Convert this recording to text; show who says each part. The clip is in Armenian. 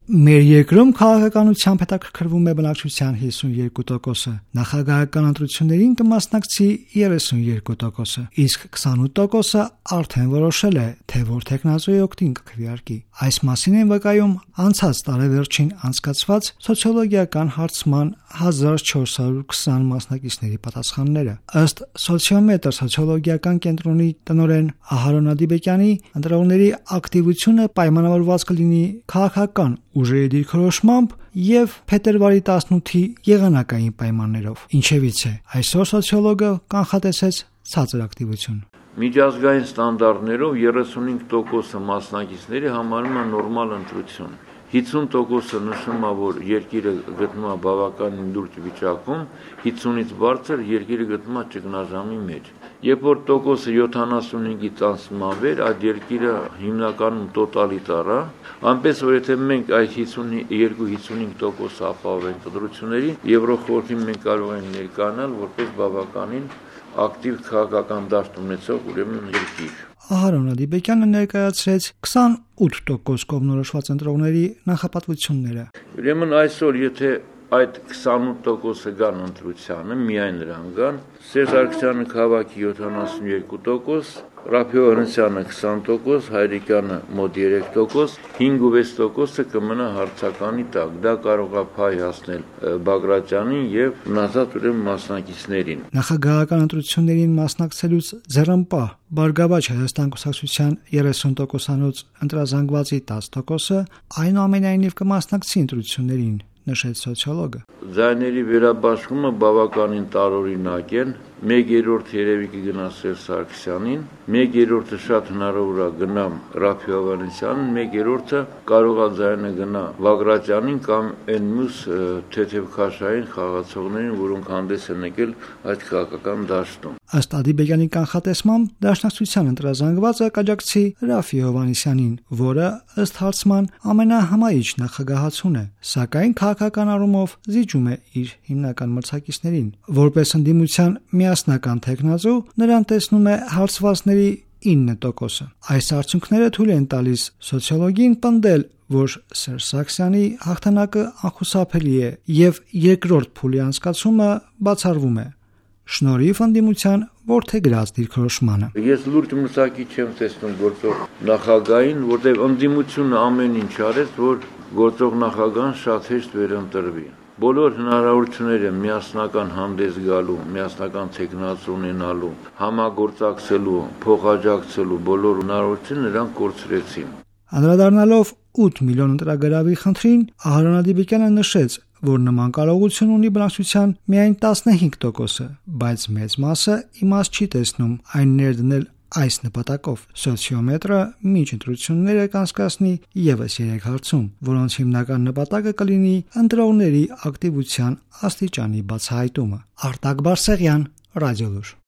Speaker 1: Մեր երկրում քաղաքականությամբ հետաքրքրվում է բնակչության 52%-ը, նախագահական ընտրություններին կմասնակցի 32%-ը, իսկ 28%-ը արդեն որոշել է, թե որ թեկնածուի օգտին կքվեարկի։ Այս մասին են վկայում անցած տարեվերջին անցկացված սոցիոլոգիական հարցման 1420 մասնակիցների պատասխանները։ Ըստ Սոցիոմետր սոցիոլոգիական կենտրոնի տնօրեն Ահարոն Ադիբեկյանի, ընտրողների ակտիվությունը պայմանավորված կլինի քաղաքական ուժերի դիրքորոշմամբ եւ փետրվարի 18-ի եղանակային պայմաններով։ Ինչևից է, այսօր սոցիոլոգը կանխատեսեց ցածր ակտիվություն։
Speaker 2: Միջազգային ստանդարտներով 35% մասնակիցների համարում են նորմալ ընտրություն։ 50%-ը նշում է, որ երկիրը գտնվում է բավականին լուրջ վիճակում, 50-ից բարձր երկիրը գտնվում է ճգնաժամի մեջ։ Երբ որ տոկոսը 75-ից անցնում է, այդ երկիրը հիմնականում տոտալիտար է, այնպես որ եթե մենք այդ 52-55% ապահովենք ընտրությունների, Եվրոխորհրդին մենք կարող ենք ներկայանալ որպես բավականին ակտիվ քաղաքական դաշտ ունեցող ուրեմն երկիր։
Speaker 1: Ահարոն Ադիբեկյանը ներկայացրեց 28% կողմնորոշված ընտրողների նախապատվությունները։
Speaker 2: Ուրեմն այսօր եթե այդ 28%-ը գան ընտրությանը, միայն նրան գան, Սերժ Սարգսյանը քաղաքի 72%, Ռաֆֆի Հովհաննիսյանը 20%, Հայրիկյանը մոտ 3%, 5-6%-ը կմնա հարցականի տակ։ Դա կարող է փայ հասնել Բագրատյանին եւ մնացած ուրեմն մասնակիցներին։
Speaker 1: Նախագահական ընտրություններին մասնակցելուց ձեռնպահ Բարգավաճ Հայաստան կուսակցության 30%-անոց ընտրազանգվածի 10%-ը այնուամենայնիվ կմասնակցի ընտրություններին, նշեց սոցիոլոգը։
Speaker 2: Ձայների վերաբաշխումը բավականին տարօրինակ է։ 1/3 երևի կգնա Սերժ Սարգսյանին, 1/3-ը շատ հնարավոր է գնա Ռաֆֆի Հովհաննիսյանին, 1/3-ը կարող է ձայնը գնա Բագրատյանին կամ այն մյուս թեթևքաշային խաղացողներին, որոնք հանդես են եկել այդ քաղաքական դաշտում։
Speaker 1: Ըստ Ադիբեկյանի կանխատեսմամբ դաշնակցության ընտրազանգվածը կաջակցի Ռաֆֆի Հովհաննիսյանին, որը ըստ հարցման ամենահմայիչ նախագահացուն է, սակայն քաղաքական առումով զիջում է իր հիմնական մրցակիցներին։ Որպես ընդդիմության միասնական թեկնածու նրան տեսնում է հարցվածների 9%-ը։ Այս արդյունքները թույլ են տալիս սոցիոլոգին պնդել, որ Սերժ Սարգսյանի հաղթանակը անխուսափելի է եւ երկրորդ փուլի անցկացումը բացառվում է, շնորհիվ ընդդիմության որդեգրած դիրքորոշմանը։
Speaker 2: Ես լուրջ մրցակի չեմ տեսնում գործող նախագահին, որտեղ ընդդիմությունը ամեն ինչ արեց, որ գործող նախագահան շատ հեշտ վերընտրվի։ Բոլոր հնարավորությունները միասնական հանդես գալու, միասնական թեկնածու ունենալու, համագործակցելու, փոխաջակցելու բոլոր հնարավորությունները նրանք կորցրեցին։
Speaker 1: Անդրադառնալով 8 միլիոն ընտրագրավի խնդրին, Ահարոն Ադիբեկյանը նշեց, որ նման կարողություն ունի բնակչության միայն 15%-ը, բայց մեծ մասը իմաստ չի տեսնում այն ներդնել այս նպատակով։ Սոցիոմետրը մինչ ընտրությունները կանցկացնի եւս 3 հարցում, որոնց հիմնական նպատակը կլինի ընտրողների ակտիվության աստիճանի բացահայտումը։ Արտակ Բարսեղյան, Ռադիոլուր։